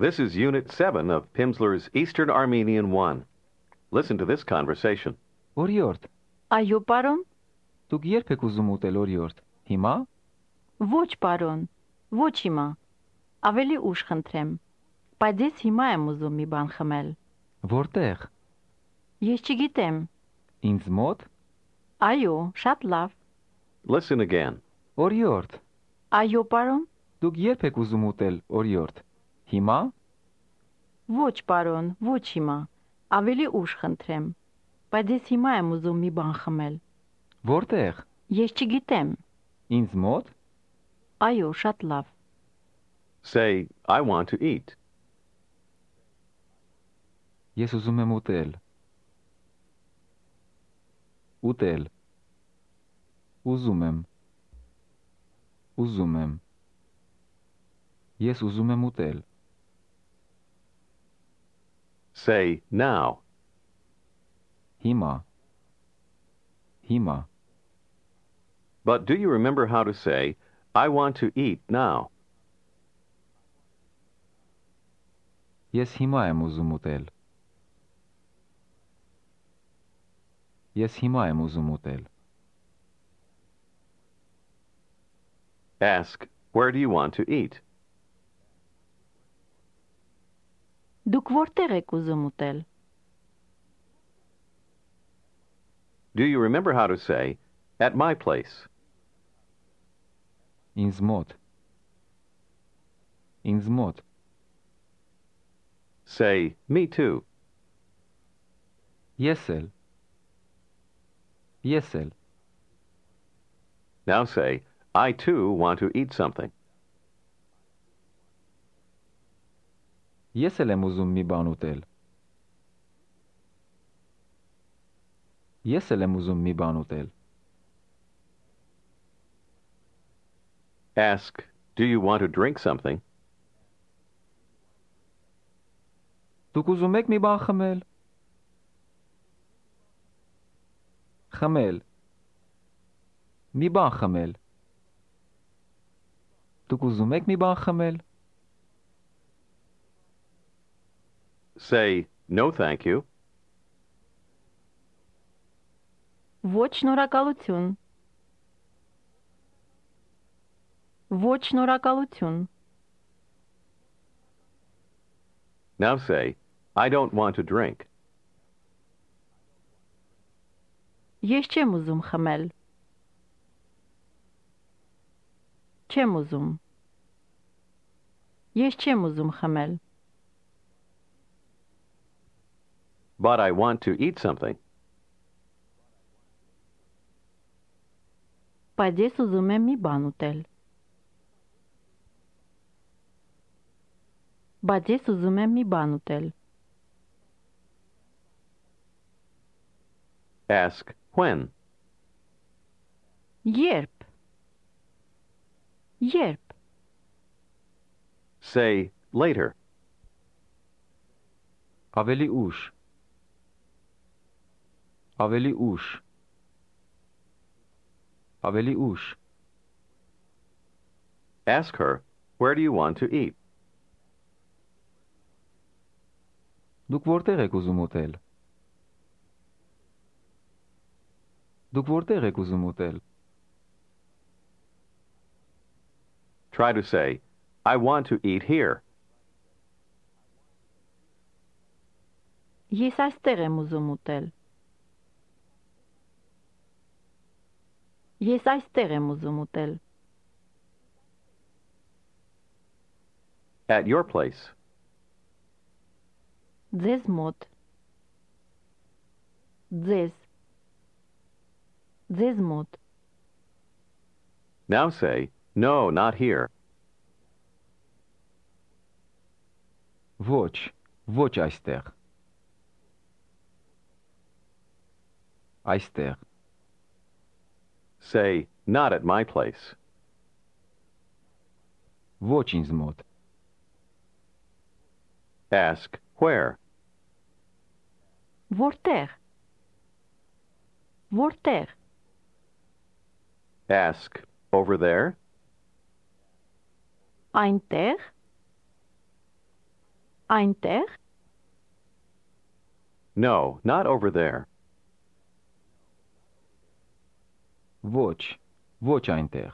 This is Unit 7 of Pimsleur's Eastern Armenian 1. Listen to this conversation. Օրիորդ, Այո, պարոն։ դուք երբ եք ուզում ուտել օրիորդ։ Հիմա։ Ոչ, պարոն։ Ոչ հիմա։ Ավելի ուշ խնդրեմ։ Բայց ես հիմա եմ ուզում մի բան խմել։ Որտեղ։ Ես չգիտեմ։ Ինձ մոտ։ Այո, շատ լավ։ Listen again. Օրիորդ, Այո, պարոն։ դուք երբ եք ուզում ուտել օրիորդ։ Հիմա։ Ոչ, պարոն, ոչ հիմա։ Ավելի ուշ խնդրեմ։ Բայց ես հիմա եմ ուզում մի բան խմել։ Որտեղ։ Ես չգիտեմ։ Ինձ մոտ։ Այո, շատ լավ։ Say, I want to eat. Ես ուզում եմ ուտել։ Ուտել։ Ուզում եմ։ Ուզում եմ։ Ես ուզում եմ ուտել։ Say, now. Հիմա։ Հիմա։ But do you remember how to say, I want to eat now? Ես հիմա եմ ուզում ուտել։ Ես հիմա եմ ուզում ուտել։ Ask, where do you want to eat? Դուք որտեղ եք ուզում ուտել։ Do you remember how to say, at my place? Ինձ մոտ։ Ինձ մոտ։ Say, me too. Ես էլ։ Ես էլ։ Now say, I too want to eat something. Ես էլ եմ ուզում մի բան ուտել։ Ես էլ եմ ուզում մի բան ուտել։ Ask, do you want to drink something? Դուք ուզում եք մի բան խմել։ Խմել։ Մի բան խմել։ Դուք ուզում եք մի բան խմել։ Say, no thank you. Ոչ շնորհակալություն։ Ոչ շնորհակալություն։ Now say, I don't want to drink. Ես չեմ ուզում խմել։ Չեմ ուզում։ Ես չեմ ուզում խմել։ But I want to eat something. Բայց ես ուզում եմ մի բան ուտել։ Բայց ես ուզում եմ մի բան ուտել։ Ask, when? Երբ։ Երբ։ Say, later. Ավելի ուշ։ Ավելի ուշ։ Ավելի ուշ։ Ask her, where do you want to eat? Դուք որտեղ եք ուզում ուտել։ Դուք որտեղ եք ուզում ուտել։ Try to say, I want to eat here. Ես այստեղ եմ ուզում ուտել։ Ես այստեղ եմ ուզում ուտել։ At your place. Ձեզ մոտ։ Ձեզ։ Ձեզ մոտ։ Now say, no, not here. Ոչ, ոչ այստեղ։ Այստեղ։ Say, not at my place. Ոչ ինձ մոտ։ Ask, where? Որտեղ։ Որտեղ։ Ask, over there? Այնտեղ։ Այնտեղ։ No, not over there. Ոչ, ոչ այնտեղ։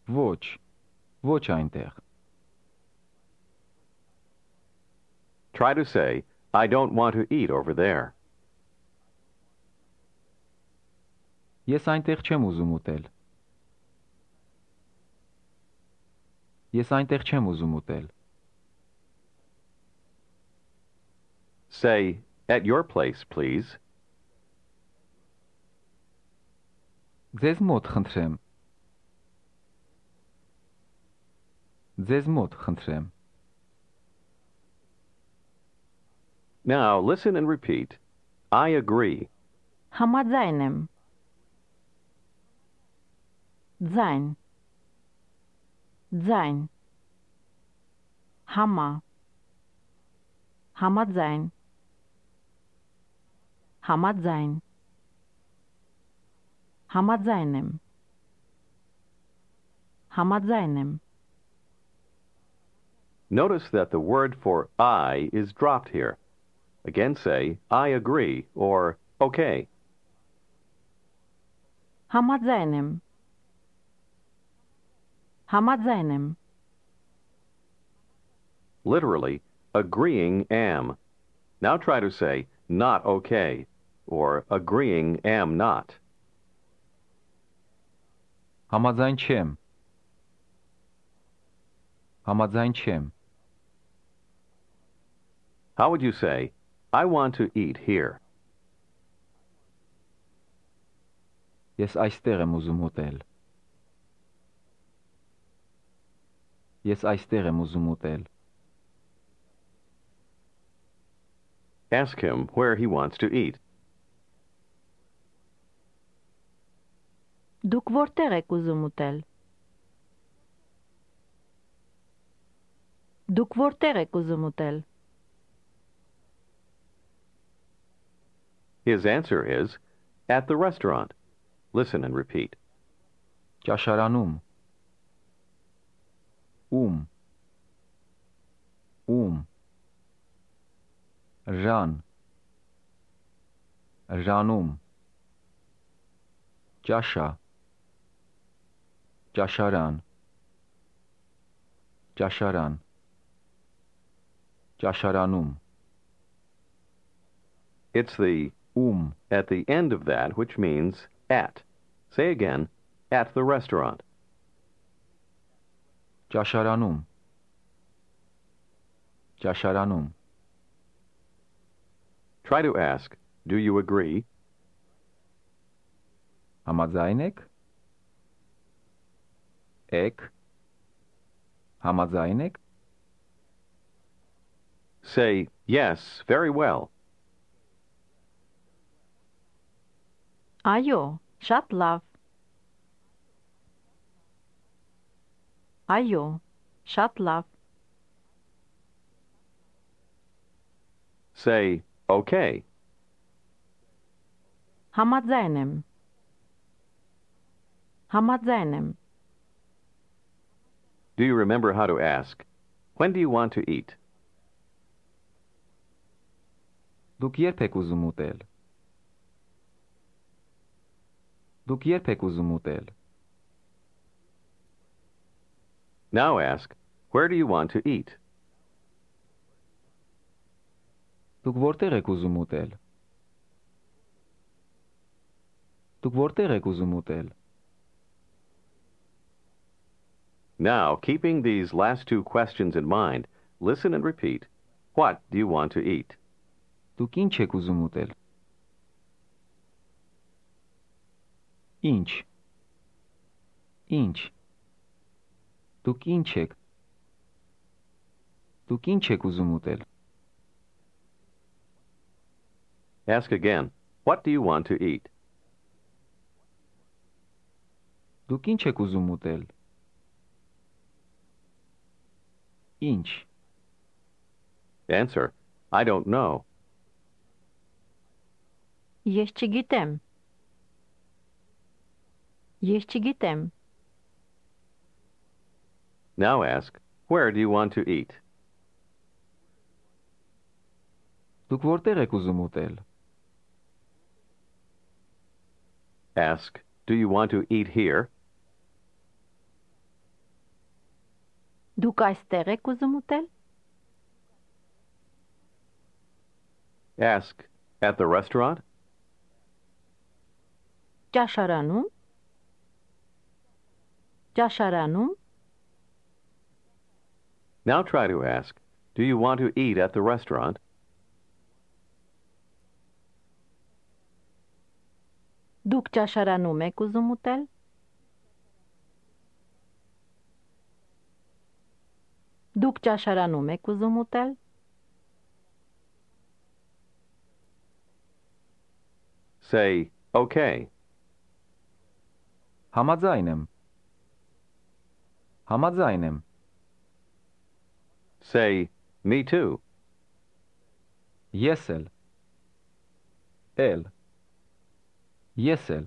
Ոչ, ոչ այնտեղ։ Try to say, I don't want to eat over there. Ես այնտեղ չեմ ուզում ուտել։ Ես այնտեղ չեմ ուզում ուտել։ Say, at your place, please. Ձեզ մոտ խնդրեմ։ Ձեզ մոտ խնդրեմ։ Now, listen and repeat. I agree. Համաձայն եմ։ Ձայն։ Ձայն։ Համա։ Համաձայն։ Համաձայն։ Համաձայն եմ։ Համաձայն եմ։ Notice that the word for I is dropped here. Again say, I agree, or okay. Համաձայն եմ։ Համաձայն եմ։ Literally, agreeing am. Now try to say, not okay, or agreeing am not. Համաձայն չեմ։ Համաձայն չեմ։ How would you say, I want to eat here? Ես այստեղ եմ ուզում ուտել։ Ես այստեղ եմ ուզում ուտել։ Ask him where he wants to eat. Դուք որտեղ եք ուզում ուտել։ Դուք որտեղ եք ուզում ուտել։ His answer is, at the restaurant. Listen and repeat. Ճաշարանում։ Ում։ Ում։ Ժան։ Ժանում։ Ճաշա։ Ճաշարան։ Ճաշարան։ Ճաշարանում։ It's the at the end of that which means at. Say again, at the restaurant. Ճաշարանում։ Ճաշարանում։ Try to ask, do you agree? Համաձայն եք։ Եք։ Համաձայն եք։ Say, yes, very well. Այո, շատ լավ։ Այո, շատ լավ։ Say, okay. Համաձայն եմ։ Համաձայն եմ։ Do you remember how to ask, when do you want to eat? Դուք երբ եք ուզում ուտել։ Դուք երբ եք ուզում ուտել։ Now ask, where do you want to eat? Դուք որտեղ եք ուզում ուտել։ Դուք որտեղ եք ուզում ուտել։ Now, keeping these last two questions in mind, listen and repeat. What do you want to eat? Դուք ինչ եք ուզում ուտել։ Ինչ։ Ինչ։ Դուք ինչ եք։ Դուք ինչ եք ուզում ուտել։ Ask again, what do you want to eat? Դուք ինչ եք ուզում ուտել։ Ինչ։ Answer, I don't know. Ես չգիտեմ։ Ես չգիտեմ։ Now ask, Where do you want to eat? Դուք որտեղ եք ուզում ուտել։ Ask, do you want to eat here? Դուք այստեղ եք ուզում ուտել։ Ask, at the restaurant? Ճաշարանում։ Ճաշարանում։ Now try to ask, do you want to eat at the restaurant? Դուք ճաշարանում եք ուզում ուտել։ Դուք ճաշարանում եք ուզում ուտել։ Say, okay. Համաձայն եմ։ Համաձայն եմ։ Say, me too. Ես էլ։ Էլ։ Ես էլ։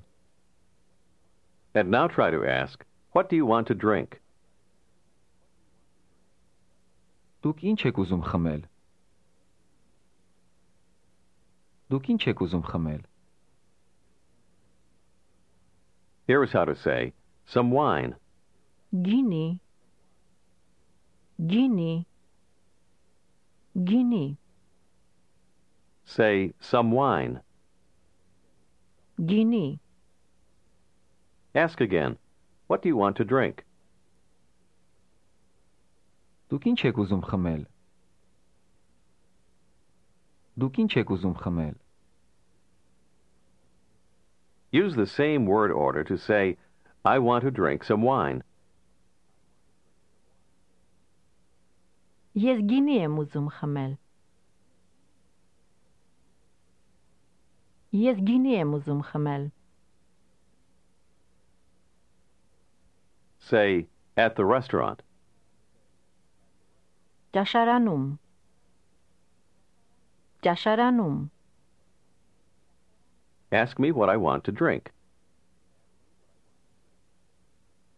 And now try to ask, what do you want to drink? Դուք ինչ եք ուզում խմել։ Դուք ինչ եք ուզում խմել։ Here is how to say, some wine. Գինի։ Գինի։ Գինի։ Say, some wine. Գինի։ Ask again, what do you want to drink? Դուք ինչ եք ուզում խմել։ Դուք ինչ եք ուզում խմել։ Use the same word order to say, I want to drink some wine. Ես գինի եմ ուզում խմել։ Ես գինի եմ ուզում խմել։ Say, at the restaurant. Ճաշարանում։ Ճաշարանում։ Ask me what I want to drink.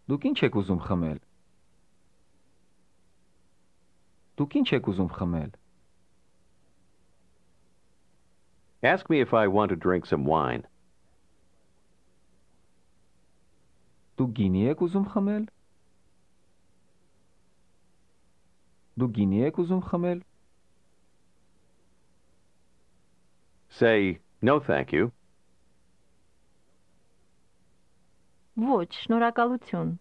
Դուք ինչ եք ուզում խմել։ Դուք ինչ եք ուզում խմել։ Ask me if I want to drink some wine. Դուք գինի եք ուզում խմել։ Դուք գինի եք ուզում խմել։ Say, no thank you. Ոչ, շնորհակալություն։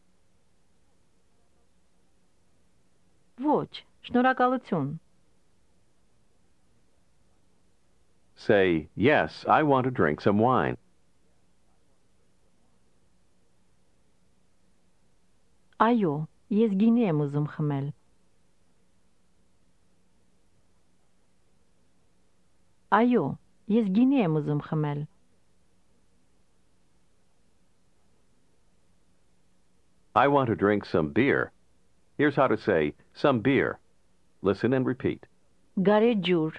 Ոչ, շնորհակալություն։ Say, yes, I want to drink some wine. Այո, ես գինի եմ ուզում խմել։ Այո, ես գինի եմ ուզում խմել։ I want to drink some beer. Here's how to say, some beer. Listen and repeat. Գարեջուր։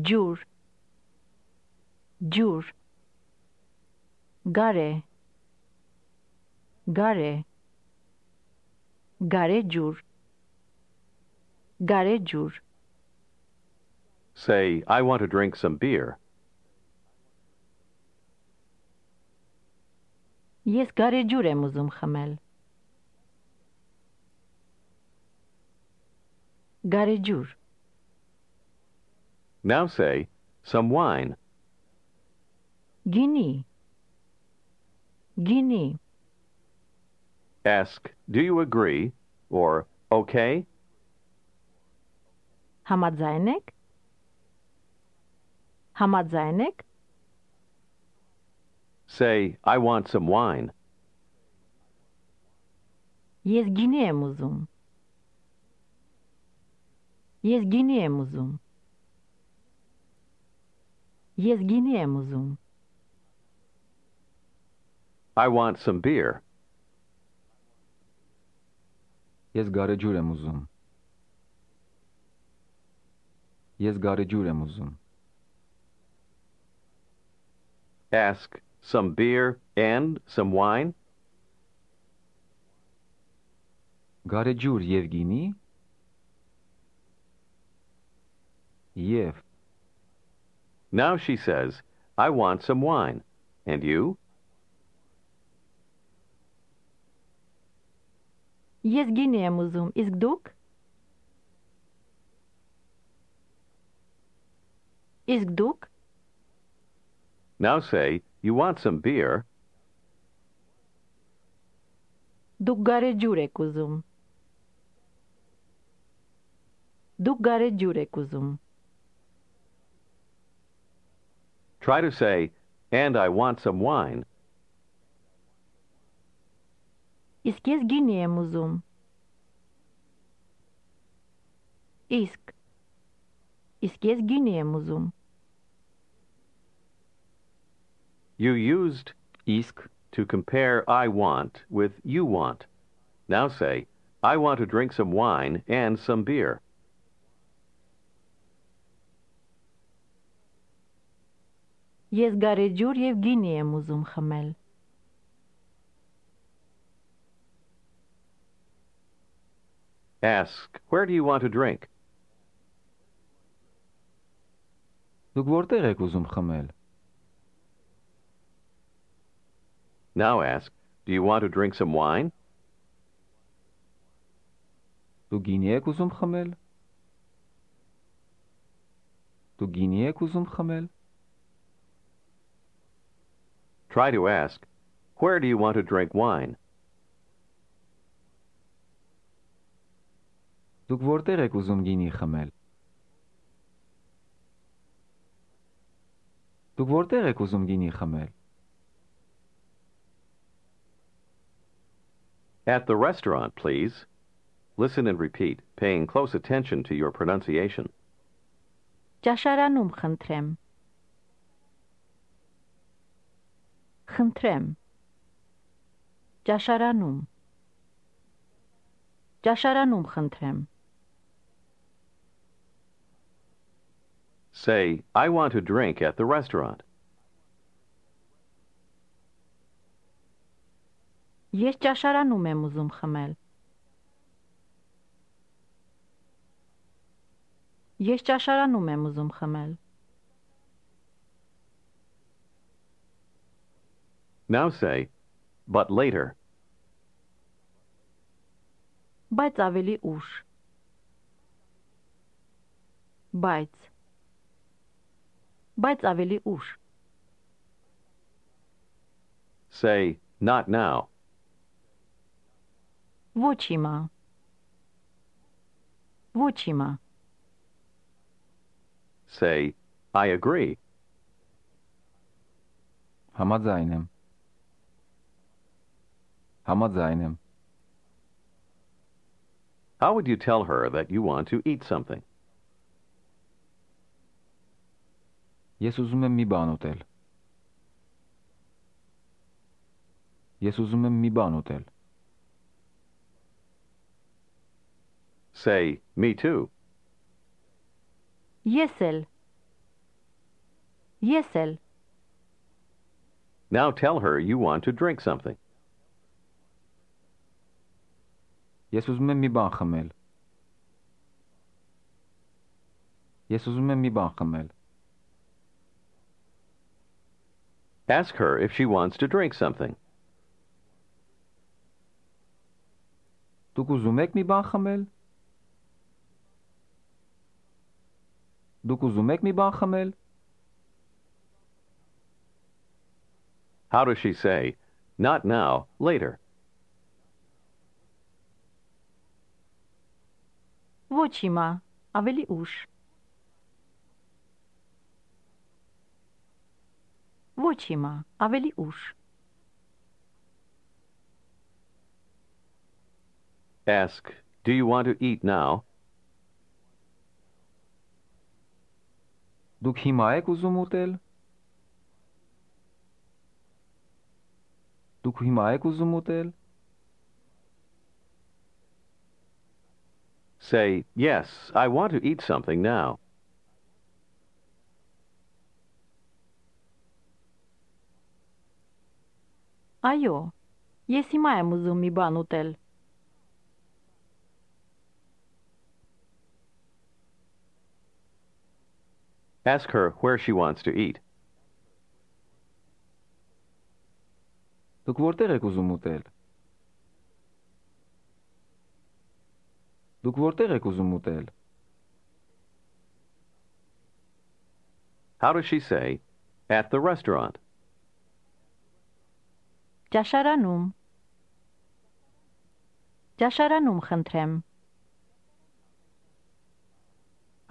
Ջուր։ Ջուր։ Գարե։ Գարե։ Գարեջուր։ Գարեջուր։ Say, I want to drink some beer. Ես գարեջուր եմ ուզում խմել։ Գարեջուր։ Now say, some wine. Գինի։ Գինի։ Ask, do you agree? Or, okay? Համաձայն եք։ Համաձայն եք։ Say, I want some wine. Ես գինի եմ ուզում։ Ես գինի եմ ուզում։ Ես գինի եմ ուզում։ I want some beer. Ես գարեջուր եմ ուզում։ Ես գարեջուր եմ ուզում։ Ask, some beer and some wine? Գարեջուր եւ գինի։ Եվ Now she says, I want some wine. And you? Ես գինի եմ ուզում, իսկ դուք? Իսկ դուք? Now say, you want some beer. Դուք գարեջուր եք ուզում։ Դուք գարեջուր եք ուզում։ Try to say, and I want some wine. Իսկ ես գինի եմ ուզում։ Իսկ ես գինի եմ ուզում։ You used իսկ to compare I want with you want. Now say, I want to drink some wine and some beer. Ես գարեջուր եւ գինի եմ ուզում խմել։ Ask, where do you want to drink? դուք որտեղ եք ուզում խմել։ Now ask, do you want to drink some wine? Դուք գինի եք ուզում խմել։ Դուք գինի եք ուզում խմել։ Try to ask, where do you want to drink wine? Դուք որտեղ եք ուզում գինի խմել։ Դուք որտեղ եք ուզում գինի խմել։ At the restaurant, please. Listen and repeat, paying close attention to your pronunciation. Ճաշարանում խնդրեմ։ Խնդրեմ։ Ճաշարանում։ Ճաշարանում խնդրեմ։ Say, I want to drink at the restaurant. Ես ճաշարանում եմ ուզում խմել։ Ես ճաշարանում եմ ուզում խմել։ Now say, but later. Բայց ավելի ուշ։ Բայց ավելի ուշ։ Say, not now. Ոչ հիմա։ Ոչ հիմա։ Say, I agree. Համաձայն եմ։ Համաձայն եմ։ How would you tell her that you want to eat something? Ես ուզում եմ մի բան ուտել։ Ես ուզում եմ մի բան ուտել։ Say, me too. Ես էլ։ Ես էլ։ Now tell her you want to drink something. Ես ուզում եմ մի բան խմել։ Ես ուզում եմ մի բան խմել։ Ask her if she wants to drink something. Դուք ուզում եք մի բան խմել։ Դուք ուզում եք մի բան խմել։ How does she say, not now, later? Ոչ հիմա, ավելի ուշ։ Ոչ հիմա, ավելի ուշ։ Ask, do you want to eat now? Դուք հիմա եք ուզում ուտել։ Դուք հիմա եք ուզում ուտել։ Say, yes, I want to eat something now. Այո, ես հիմա եմ ուզում մի բան ուտել։ Ask her where she wants to eat. Դուք որտեղ եք ուզում ուտել։ Դուք որտեղ եք ուզում ուտել։ How does she say, at the restaurant? Ճաշարանում։ Ճաշարանում խնդրեմ։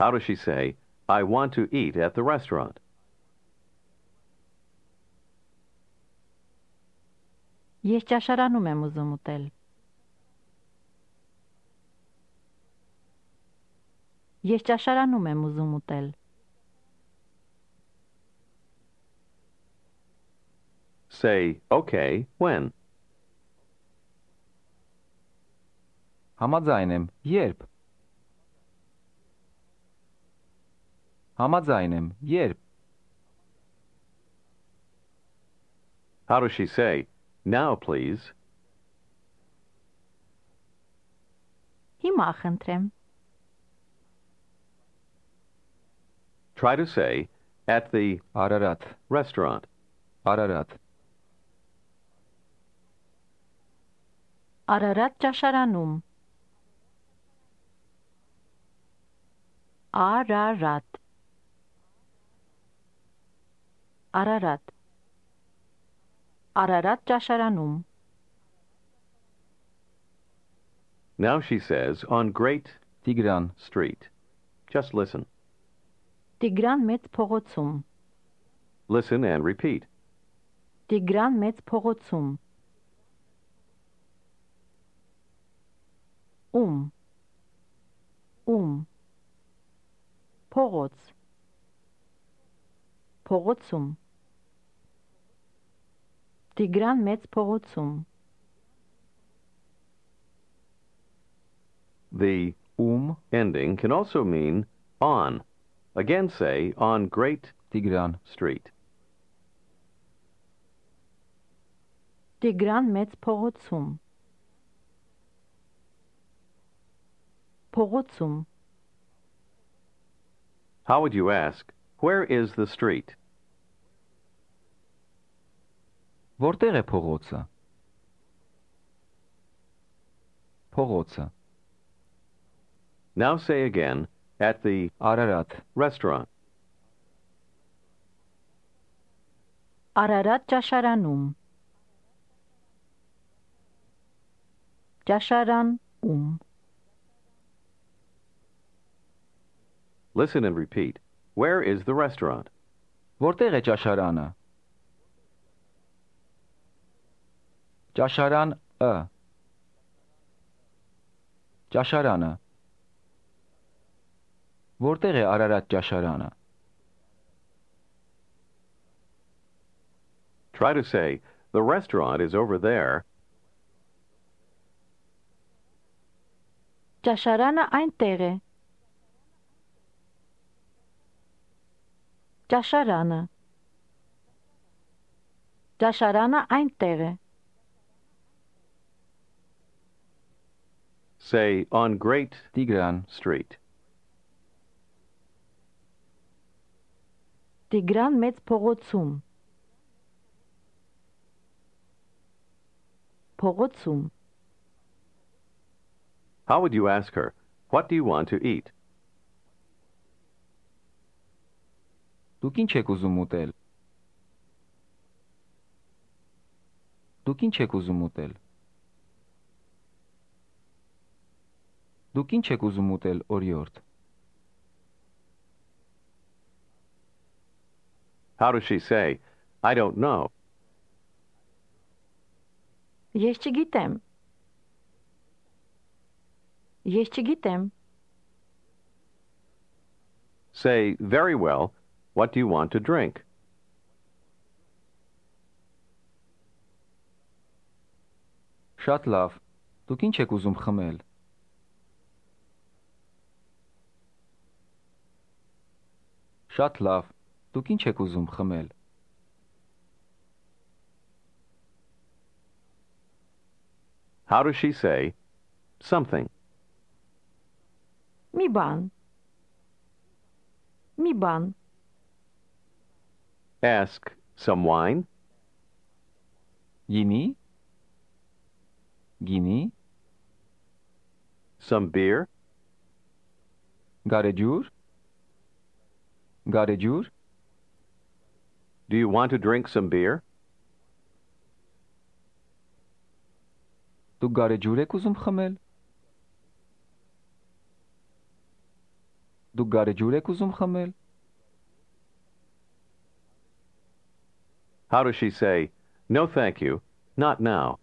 How does she say, I want to eat at the restaurant? Ես ճաշարանում եմ ուզում ուտել։ Ես ճաշարանում եմ ուզում ուտել։ Say, okay, when? Համաձայն եմ, երբ։ Համաձայն եմ, երբ։ How does she say, now please? Հիմա խնդրեմ։ Try to say, at the Արարատ, restaurant. Արարատ, Արարատ ճաշարանում։ Արարատ։ Արարատ։ Արարատ ճաշարանում։ Now she says, on Great Տիգրան, Street. Just listen. Տիգրան մեծ փողոցում։ Listen and repeat. Տիգրան մեծ փողոցում։ Ում փողոց փողոցում Տիգրան մեծ փողոցում The ending can also mean on. Again say, on Great Տիգրան, Street. Տիգրան մեծ փողոցում փողոցում How would you ask, where is the street? որտեղ է փողոցը։ Փողոցը, Now say again, at the Արարատ, restaurant. Արարատ ճաշարանում ճաշարանում Listen and repeat. Where is the restaurant? որտեղ է ճաշարանը։ Ճաշարանը, ճաշարանը, որտեղ է Արարատ ճաշարանը։ Try to say, the restaurant is over there. ճաշարանը այնտեղ է ճաշարանը ճաշարանը այնտեղ է Say, on Great Տիգրան, Street. Տիգրան մեծ փողոցում փողոցում How would you ask her, what do you want to eat? դուք ինչ եք ուզում ուտել։ Դուք ինչ եք ուզում ուտել։ Դուք ինչ եք ուզում ուտել օրիորդ։ How does she say, I don't know? Ես չգիտեմ Ես չգիտեմ Say, very well, what do you want to drink? Շատ լավ, դուք ինչ եք ուզում խմել։ Շատ լավ, դուք ինչ եք ուզում խմել։ How does she say, something? մի բան Ask, some wine? Gini? Gini? Some beer? Garejur? Garejur? Do you want to drink some beer? Դուք գարեջուր եք ուզում խմել? Դուք գարեջուր եք ուզում խմել? How does she say, no thank you, not now?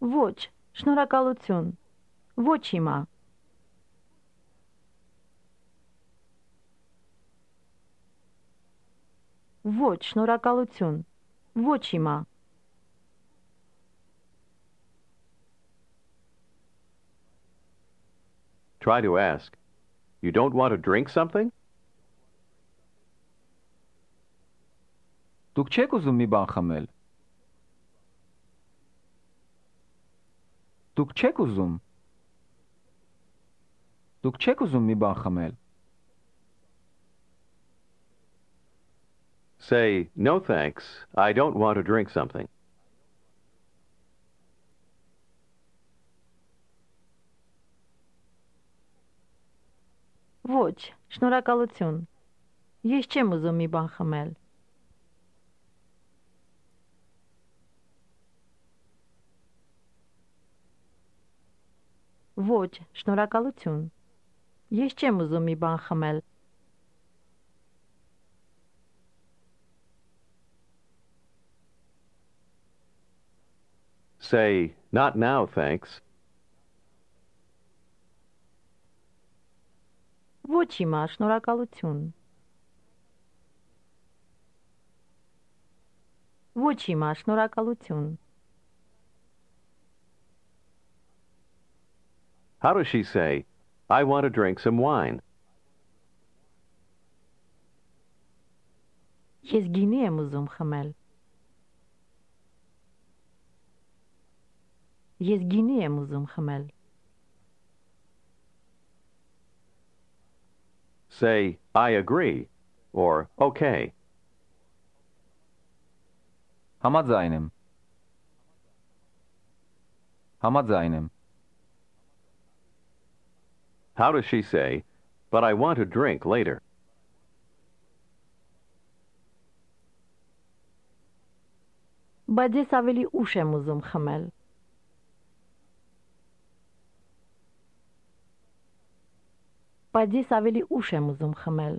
Ոչ, շնորհակալություն։ Ոչ հիմա։ Ոչ, շնորհակալություն։ Ոչ հիմա։ Try to ask, you don't want to drink something? Դուք չեք ուզում մի բան խմել? Դուք չեք ուզում? Դուք չեք ուզում մի բան խմել? Say, no thanks, I don't want to drink something. Ոչ, շնորհակալություն։ Ես չեմ ուզում մի բան խմել։ Ոչ, շնորհակալություն։ Ես չեմ ուզում մի բան խմել։ Say, not now, thanks. Ոչ հիմա, շնորհակալություն։ Ոչ հիմա, շնորհակալություն։ How does she say, I want to drink some wine? Ես գինի եմ ուզում խմել։ Ես գինի եմ ուզում խմել։ Say, I agree, or okay. Համաձայն եմ։ Համաձայն եմ։ How does she say, but I want to drink later? Բայց ես ավելի ուշ եմ ուզում խմել։ Բայց ես ավելի ուշ եմ ուզում խմել։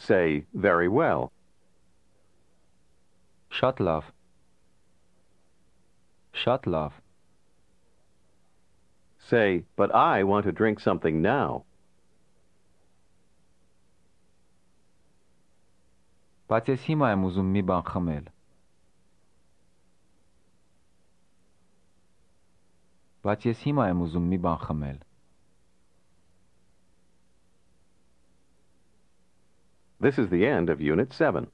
Say, very well. Շատ լավ։ Շատ լավ։ Say, but I want to drink something now. Բայց ես հիմա եմ ուզում մի բան խմել։ Բայց ես հիմա եմ ուզում մի բան խմել։ This is the end of Unit 7.